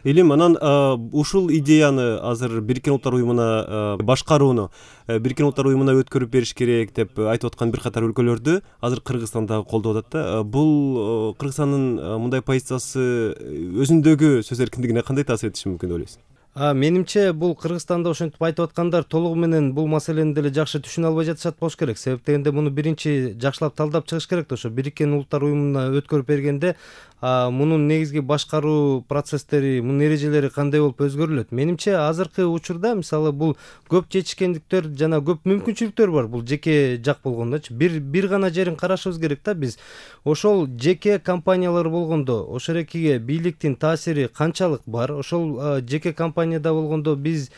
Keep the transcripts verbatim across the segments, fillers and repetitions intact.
Элим анан ушул идеяны азыр Бириккен Улуттар Уюмуна башкарууну Бириккен Улуттар Уюмуна өткөрүп бериш керек деп айтып аткан бир катар өлкөлөрдү азыр Кыргызстан дагы колдоп атат да. Бул Кыргызстандын мындай позициясы өзүндөгү сөз эркиндигине кандай таасир этиши мүмкүн деп ойлойсуз? Менимче бул Кыргызстанда ошентип айтып аткандар толугу менен бул маселени деле жакшы түшүнө албай жатышат болуш керек. Себеп дегенде муну биринчи жакшылап талдап чыгыш керек да. Ошо Бириккен Улуттар Уюмуна өткөрүп бергенде мунун негизги башкаруу процесстери, мунун эрежелери кандай болуп өзгөрүлөт? Менимче азыркы учурда мисалы бул көп жетишкендиктер жана көп мүмкүнчүлүктөр бар бул жеке жак болгондочу. Бир бир гана жерин карашыбыз керек да биз. Ошол жеке компаниялар болгондо ошерекиге бийликтин таасири канчалык бар? Ошол жеке компанияда болгондо биз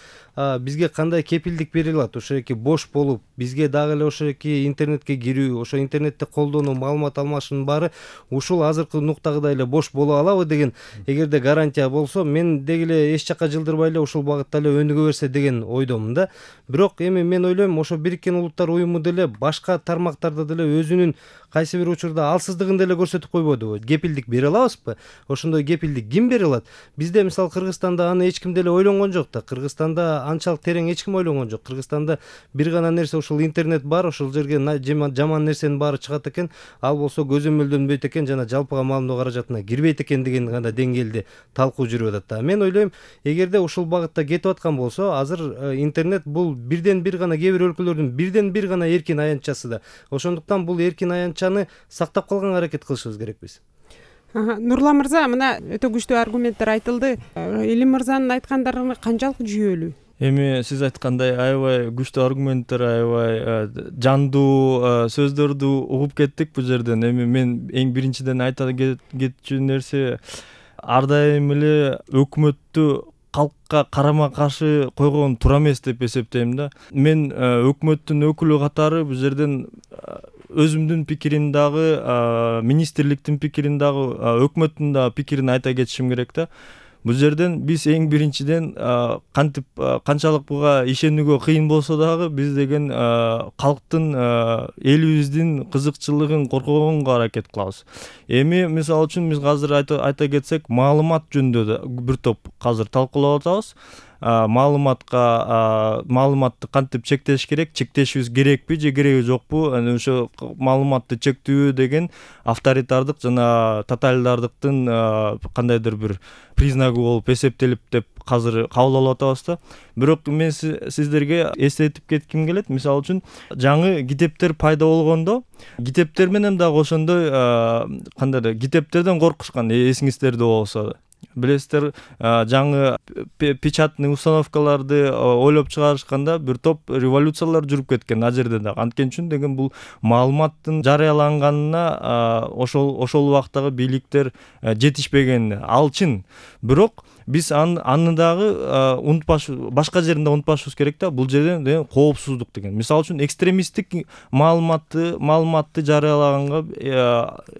бизге кандай кепилдик бериле алат? Ошеки бош болуп, бизге дагы эле ошеки интернетке кирүү, ошо интернетте колдонуу, маалымат алмашуунун баары ушул азыркы нуктагыдай эле бош боло алабы деген эгерде гарантия болсо, мен деги эле эч жакка жылдырбай эле ушул багытта эле өнүгө берсе деген ойдомун да. Бирок эми мен ойлойм, ошо Бириккен Улуттар Уюму деле башка тармактарда деле өзүнүн кайсы бир учурда алсыздыгын деле көрсөтүп койбодубу? Кепилдик бере алабызбы? Ошондой кепилдик ким бере алат? Бизде мисалы Кыргызстанда аны эч ким деле ойлонгон жок да. Кыргызстанда анчалык терең эч ким ойлонгон жок. Кыргызстанда бир гана нерсе ушул интернет бар, ошол жерге жаман нерсенин баары чыгат экен, ал болсо көзөмөлдөнбөйт экен жана жалпыга маалымдоо каражатына кирбейт экен деген гана деңгээлде талкуу жүрүп атат да. Мен ойлойм, эгерде ушул багытта кетип аткан болсо, азыр интернет бул бирден бир гана кээ бир өлкөлөрдүн бирден бир гана эркин аянтчасы да. Ошондуктан бул эркин аянтчаны сактап калганга аракет кылышыбыз керекпиз. Нурлан мырза, мына өтө күчтүү аргументтер айтылды. Элим мырзанын айткандары канчалык жүйөлүү? Эми сиз айткандай аябай күчтүү аргументтер, аябай жандуу сөздөрдү угуп кеттик бул жерден. Эми мен эң биринчиден айта кетчү нерсе, ар дайым эле өкмөттү калкка карама каршы койгон туура эмес деп эсептейм да. Мен өкмөттүн өкүлү катары бул жерден өзүмдүн пикирим дагы, министрликтин пикирин дагы, өкмөттүн да пикирин айта кетишим керек да. Бул жерден биз эң биринчиден кантип канчалык буга ишенүүгө кыйын болсо дагы биз деген калктын, элибиздин кызыкчылыгын коргогонго аракет кылабыз. Эми мисалы үчүн биз азыр айта кетсек, маалымат жөнүндө бир топ азыр талкуулап атабыз. Маалыматка маалыматты кантип чектеш керек, чектешибиз керекпи же кереги жокпу? Ошо маалыматты чектүү деген авторитардык жана тоталитардыктын кандайдыр бир признагы болуп эсептелип деп азыр кабыл алып атабыз да. Бирок мен сиздерге эстетип кетким келет. Мисалы үчүн жаңы китептер пайда болгондо, китептер менен дагы ошондой кандайдыр китептерден коркушкан, эсиңиздерде болсо. Билесиздер, жаңы печатный установкаларды ойлоп чыгарышканда бир топ революциялар жүрүп кеткен а жерде дагы. Анткени үчүн деген бул маалыматтын жарыяланганына ошол ошол убактагы бийликтер жетишпеген. Ал чын. Бирок биз аны дагы унутпаш, башка жеринде унутпашыбыз керек да. Бул жерден коопсуздук деген. Мисалы үчүн экстремисттик маалыматты маалыматты жарыялаганга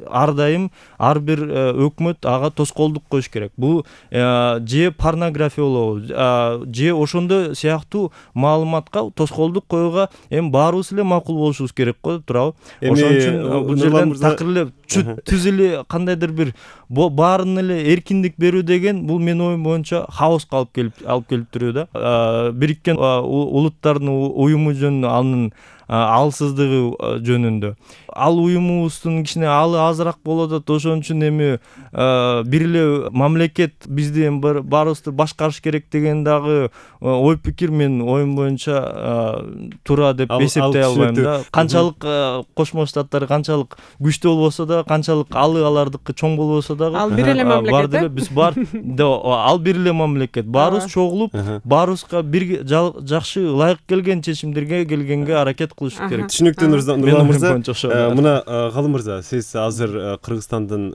ар дайым ар бир өкмөт ага тоскоолдук коюш керек. Бул же порнография болобу, же ошондой сыяктуу маалыматка тоскоолдук коюуга эми баарыбыз эле макул болушубуз керек го, туурабы? Ошон үчүн бул жерден такыр эле түз эле кандайдыр бир баарын эле эркиндик берүү деген бул менин оюм боюнча хаоска алып келип алып келип туруу да. Бириккен Улуттардын Уюму жөнүндө, анын алсыздыгы жөнүндө. Ал уюмубуздун кичине алы азыраак болот атат. Ошон үчүн эми бир эле мамлекет бизди эми баарыбызды башкарыш керек деген дагы ой пикир менин оюм боюнча туура деп эсептей албайм да. Канчалык Кошмо Штаттар канчалык күчтүү болбосо да, канчалык алы алардыкы чоң болбосо дагы, ал бир эле мамлекет. Биз бар, ал бир эле мамлекет. Баарыбыз чогулуп, баарыбызга бир жакшы, ылайык келген чечимдерге келгенге аракет кылыш керек. Түшүнүктүү Нурлан мырза. Мына Калым мырза, сиз азыр Кыргызстандын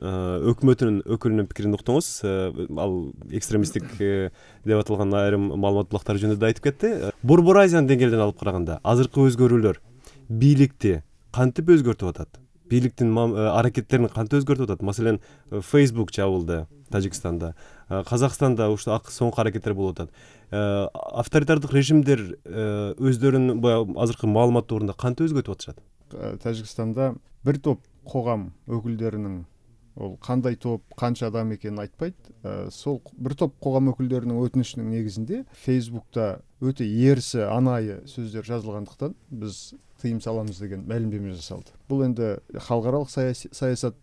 өкмөтүнүн өкүлүнүн пикирин уктуңуз. Ал экстремисттик деп аталган айрым маалымат булактары жөнүндө айтып кетти. Борбор Азиянын деңгээлинен алып караганда азыркы өзгөрүүлөр бийликти кантип өзгөртүп атат? Бийликтин аракеттерин кантип өзгөртүп атат? Маселен, Facebook жабылды Тажикстанда, Казакстанда ушул соңку аракеттер болуп атат. Авторитардык режимдер өздөрүнүн азыркы маалымат туурунда кантип өзгөртүп атышат? Тажикстанда бир топ когам өкүлдөрүнүн ол кандай топ, канча адам экенин айтпайт. Сол бир топ когам өкүлдөрүнүн өтүнүшүнүн негизинде Facebook'та өтө ерсі, анайы сөздөр жазылгандыктан биз тыйым саламыз деген маалимдеме жасалды. Бул энди халкаралык саясат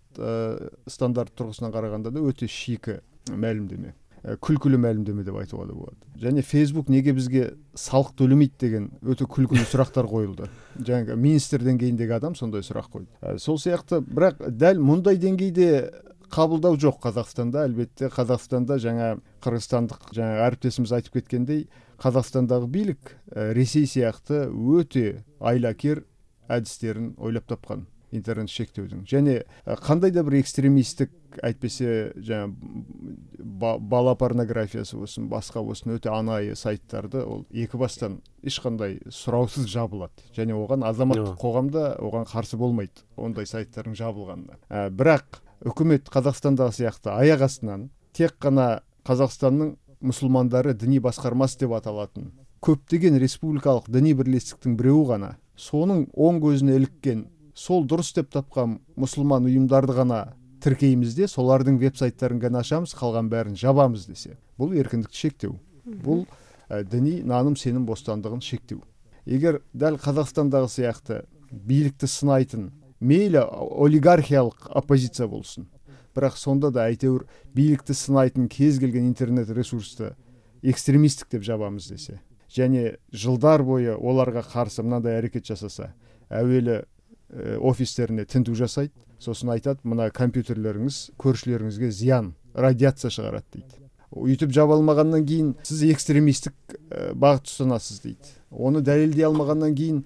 стандарт тургусунан караганда да өтө шийки маалимдеме, күлкүлүү маалимдеме деп айтууга да болот. Және Facebook неге бизге салык төлөмейт деген өтө күлкүлүү сурактар коюлду. Жаңы министр деңгейиндеги адам сондай сурак койду. Сол сыяктуу, бирок дал мындай деңгейде кабылдау жок Казакстанда. Албетте Казакстанда жаңа кыргызстандык жаңа ариптесimiz айтып кеткендей, Казакстандагы бийлик Ресей сыяктуу өтө айлакер адистерин ойлоп тапкан интернет шектөөдүн. Және кандай да бир экстремисттик, айтпесе жаңа бала порнографиясы болсун, башка болсун өтө анайы сайттарды ол эки бастан эч кандай суроосуз жабылат. Және оган азаматтык когамда оган каршы болмойт, ондай сайттардын жабылганына. Бирок өкмөт Казакстандагы сыяктуу аяк астынан тек гана Казакстандын мусулмандары диний башкармасы деп аталатын көптөгөн республикалык диний бирлестиктин бирөө гана, сонун оң көзүнө иликкен, сол дурус деп тапкан мусулман уюмдарды гана тиркейбизде, солардын веб-сайттарын гана ачабыз, калган баарын жабабыз десе, бул эркиндикти шектөө. Бул диний нааным сеним бостандыгын шектөө. Эгер дал Казакстандагы сыяктуу бийликти сынайтын, мейли олигархиялык оппозиция болсун, бирок сонда да айтебир бийликти сынайтын кез келген интернет ресурсту экстремисттик деп жабабыз десе, және жылдар бою оларга каршы мындай аракет жасаса, әуелі офистерине тинтүү жасайт, сосын айтат, мына компьютерлериңиз көршүлөрүңүзгө зыян, радиация чыгарат дейт. Үйтүп жаба алмагандан кийин сиз экстремисттик багыт тутанасыз дейт. Оны далилдей алмагандан кийин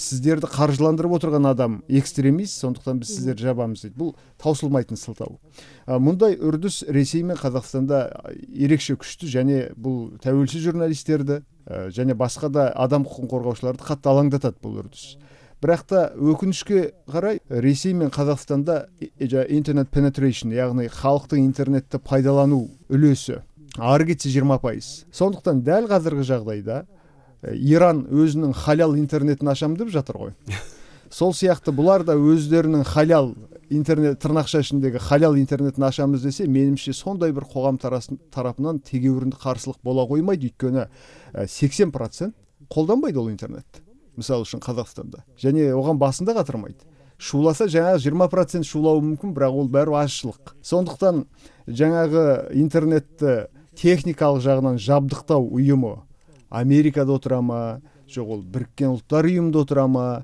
сиздерди каржыландырып отурган адам экстремист, сондуктан биз сиздерди жабабыз дейт. Бул таусылмайтын сылтау. Мындай үрдүс Ресей менен Казакстанда эрекше күчтүү, және бул тәуелсиз журналисттерди және башка да адам укугун коргоочуларды катты алаңдатат бул үрдүс. Бирок та өкүнүчкө карай Ресей менен Казакстанда интернет penetration, ягни халктын интернетти пайдалануу үлөсү ары кетсе жыйырма пайыз. Сондуктан дал азыркы жагдайда Иран өзүнүн халал интернетин ачам деп жатыр ғой. Сол сыяктуу булар да өздөрүнүн халал интернет, тырнакча ичиндеги халал интернетин ачабыз десе, менимче сондай бир когам тарапынан тегеурүндү каршылык бола коймойт, өйткөнү сексен процент колдонбойт ол интернетти. Мисалы үчүн Казакстанда. Және оган басында катырмайт. Шууласа жаңа жыйырма процент шуулоо мүмкүн, бирок ол баары ашчылык. Сондуктан жаңагы интернетти техникалык жагынан жабдыктоо уюму Америкада отурама, жок ол Бириккен Улуттар уюмунда отурама,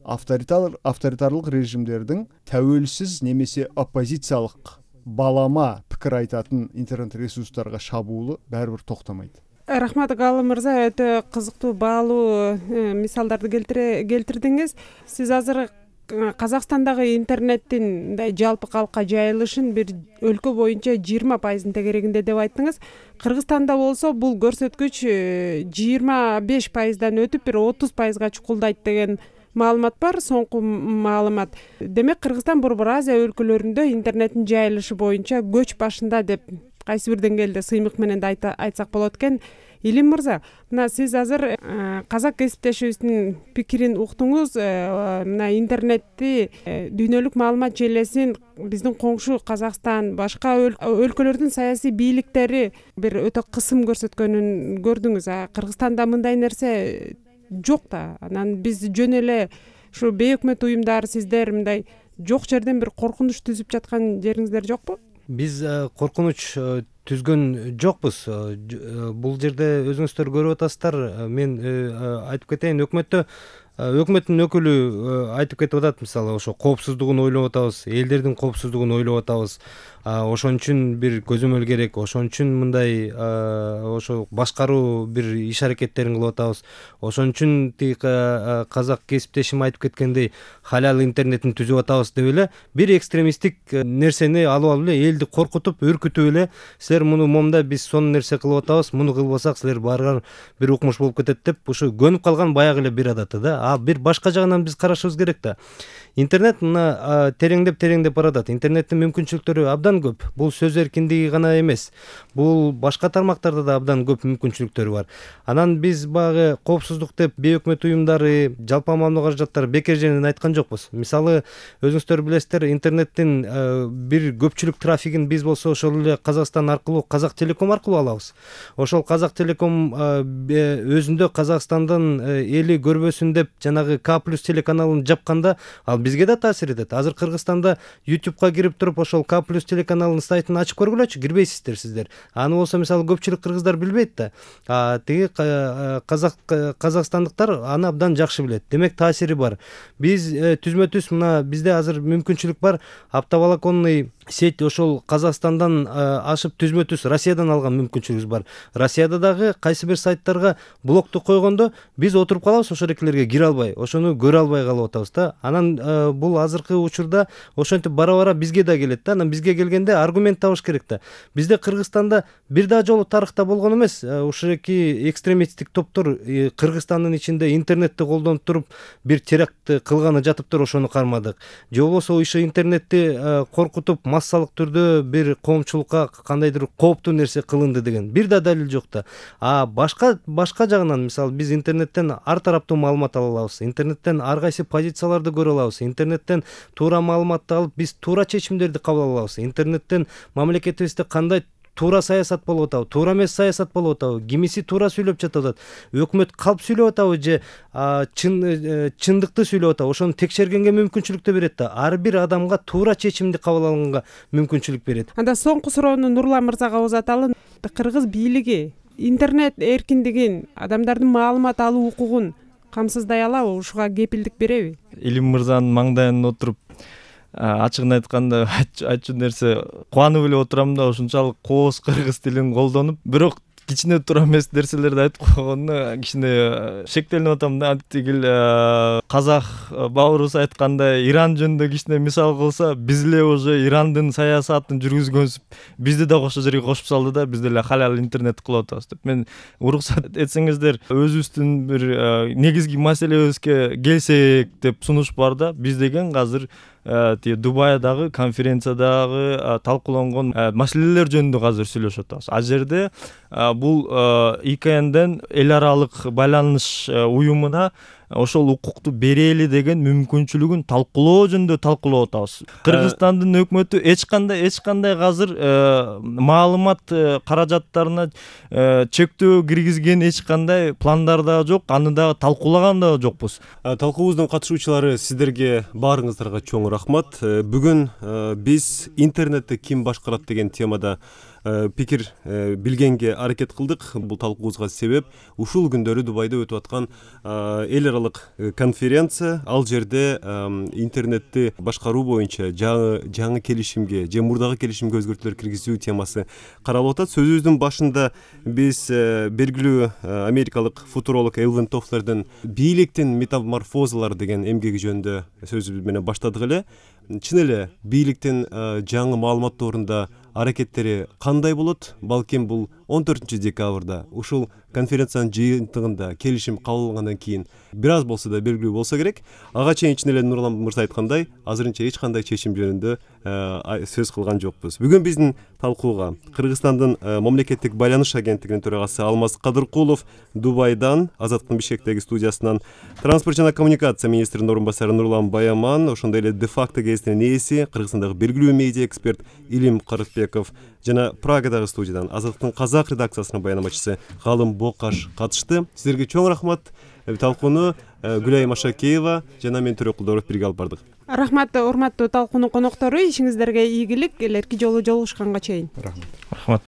авторитарлык режимдердин тәуелсиз немесе оппозициялык балама пикир айтатын интернет ресурстарга шабуулу баары бир токтомойт. Рахмат Гаалы мырза, өтө кызыктуу баалуу мисалдарды келтирдиңиз. Сиз азыр Казакстандагы интернеттин мындай жалпы калкка жайылышын бир өлкө боюнча жыйырма пайыздын тегерегинде деп айттыңыз. Кыргызстанда болсо бул көрсөткүч жыйырма беш пайыздан өтүп бир отуз пайызга чукулдайт деген маалымат бар, соңку маалымат. Демек Кыргызстан Борбор Азия өлкөлөрүндө интернеттин жайылышы боюнча көч башында деп кайсы бир деңгээлде сыймык менен да айтсак болот экен. Илим мырза, мына сиз азыр казак кесиптешибиздин пикирин уктуңуз. Мына интернетти, дүйнөлүк маалымат желесин биздин коңшу Казакстан, башка өлкөлөрдүн саясий бийликтери бир өтө кысым көрсөткөнүн көрдүңүз. Кыргызстанда мындай нерсе жок да. Анан биз жөн эле ушу бейөкмөт уюмдар, сиздер мындай жок жерден бир коркунуч түзүп жаткан жериңиздер жокпу? Биз коркунуч түзгөн жокпуз. Бул жерде өзүңүздөр көрүп атасыздар. Мен айтып кетейин, өкмөттө өкмөттүн өкүлү айтып кетип атат, мисалы ошо коопсуздугун ойлоп атабыз, элдердин коопсуздугун ойлоп атабыз. Ошон үчүн бир көзөмөл керек, ошон үчүн мындай ошо башкаруу бир иш аракеттерин кылып атабыз. Ошон үчүн тиги казак кесиптешим айтып кеткендей халал интернетин түзүп атабыз деп эле бир экстремисттик нерсени алып алып эле элди коркутуп, үркүтүп эле силер муну момда биз сонун нерсе кылып атабыз, муну кылбасак силер баарыңар бир укмуш болуп кетет деп ушу көнүп калган баягы эле бир адаты да. А бир башка жагынан биз карашыбыз керек да. Интернет мына тереңдеп тереңдеп баратат. Интернеттин мүмкүнчүлүктөрү абдан көп. Бул сөз эркиндиги гана эмес. Бул башка тармактарда да абдан көп мүмкүнчүлүктөрү бар. Анан биз баягы коопсуздук деп бейөкмөт уюмдары, жалпы аммалуу каражаттар бекер жеринен айткан жокпуз. Мисалы, өзүңүздөр билесиздер, интернеттин бир көпчүлүк трафигин биз болсо ошол эле Казакстан аркылуу, Казак Телеком аркылуу алабыз. Ошол Казак Телеком өзүндө Казакстандын эли көрбөсүн деп жанагы К плюс телеканалын жапканда, ал бизге да таасир этет. Азыр Кыргызстанда ютубка кирип туруп ошол К плюс телеканалынын сайтын ачып көргүлөчү, кирбейсиздер сиздер. Аны болсо мисалы көпчүлүк кыргыздар билбейт да. А тиги казак казакстандыктар аны абдан жакшы билет. Демек таасири бар. Биз түзмө түз мына бизде азыр мүмкүнчүлүк бар. Оптоволоконный сеть ошол Казакстандан ашып түзмө түз Россиядан алган мүмкүнчүлүгүбүз бар. Россияда дагы кайсы бир сайттарга блокту койгондо биз отуруп калабыз, ошол экелерге кире албай, ошону көрө албай калып атабыз да. Анан бул азыркы учурда ошентип бара-бара бизге да келет да. Анан бизге келгенде аргумент табыш керек да. Бизде Кыргызстанда бир да жолу тарыхта болгон эмес. Ушеки экстремисттик топтор Кыргызстандын ичинде интернетти колдонуп туруп бир теракт кылганы жатыптыр, ошону кармадык. Же болбосо ошо интернетти коркутуп массалык түрдө бир коомчулукка кандайдыр кооптуу нерсе кылынды деген бир да далил жок да. А башка башка жагынан мисалы биз интернеттен ар тараптуу маалымат ала алабыз. Интернеттен ар кайсы позицияларды көрө алабыз. Интернеттен туура маалыматты алып биз туура чечимдерди кабыл ала алабыз. Интернеттен мамлекетибизде кандай туура саясат болуп атабы, туура эмес саясат болуп атабы, кимиси туура сүйлөп жатат, өкмөт калп сүйлөп атабы же чын чындыкты сүйлөп атабы, ошону текшергенге мүмкүнчүлүктү берет да. Ар бир адамга туура чечимди кабыл алганга мүмкүнчүлүк берет. Анда соңку суроону Нурлан мырзага узаталы. Кыргыз бийлиги интернет эркиндигин, адамдардын маалымат алуу укугун камсыздай алабы, ушуга кепилдик береби? Илим мырзанын маңдайына отуруп ачыгын айтканда айтчу нерсе кубанып эле отурам да, ушунчалык кооз кыргыз тилин колдонуп, бирок кичине туура эмес нерселерди айтып койгонуна кичине шектелип атам да. Тигил казак бауырубуз айткандай, Иран жөнүндө кичине мисал кылса, биз эле уже Ирандын саясатын жүргүзгөнбүз, бизди да ошол жерге кошуп салды да, биз деле халал интернет кылып атабыз деп. Мен уруксат этсеңиздер, өзүбүздүн бир негизги маселебизге келсек деп сунуш бар да. Биз деген азыр тиги Дубайдагы конференциядагы талкууланган маселелер жөнүндө азыр сүйлөшүп атабыз. А жерде бул И К Нден эл аралык байланыш уюмуна ошол укукту берели деген мүмкүнчүлүгүн талкуулоо жөнүндө талкуулап атабыз. Кыргызстандын өкмөтү эч кандай эч кандай азыр маалымат каражаттарына чектөө киргизген эч кандай пландар да жок, аны дагы талкуулаган да жокпуз. Талкуубуздун катышуучулары, сиздерге баарыңыздарга чоң рахмат. Бүгүн биз интернетти ким башкарат деген темада пикир билгенге аракет кылдык. Бул талкуубузга себеп ушул күндөрү Дубайда өтүп аткан эл аралык конференция. Ал жерде интернетти башкаруу боюнча жаңы жаңы келишимге же мурдагы келишимге өзгөртүүлөр киргизүү темасы каралып атат. Сөзүбүздүн башында биз белгилүү америкалык футуролог Элвин Тофлердин бийликтин метаморфозалары деген эмгеги жөнүндө сөзүбүз менен баштадык эле. Чын эле бийликтин жаңы маалымат тоорунда аракеттери кандай болот? Балким бул он төртүнчү декабрда ушул конференциянын жыйынтыгында келишим кабыл алынгандан кийин бир аз болсо да белгилүү болсо керек. Ага чейин чын эле Нурлан мырза айткандай, азырынча эч кандай чечим жөнүндө сөз кылган жокпуз. Бүгүн биздин талкууга Кыргызстандын мамлекеттик байланыш агенттигинин төрагасы Алмаз Кадыркулов, Дубайдан, Азаттыктын Бишкектеги студиясынан транспорт жана коммуникация министринин орун басары Нурлан Баяман, ошондой эле де-факто гезитинин ээси, Кыргызстандагы белгилүү медиа эксперт Илим Карыкбеков жана Прагадагы студиядан Азаттыктын казак редакциясынын баянамачысы Галым Бокаш катышты. Сиздерге чоң рахмат. Талкууну Гүлай Машакеева жана мен Төрөк Кулдоров бирге алып бардык. Рахмат, урматтуу талкуунун коноктору, ишиңиздерге ийгилик, келерки жолу жолугушканга чейин. Рахмат. Рахмат.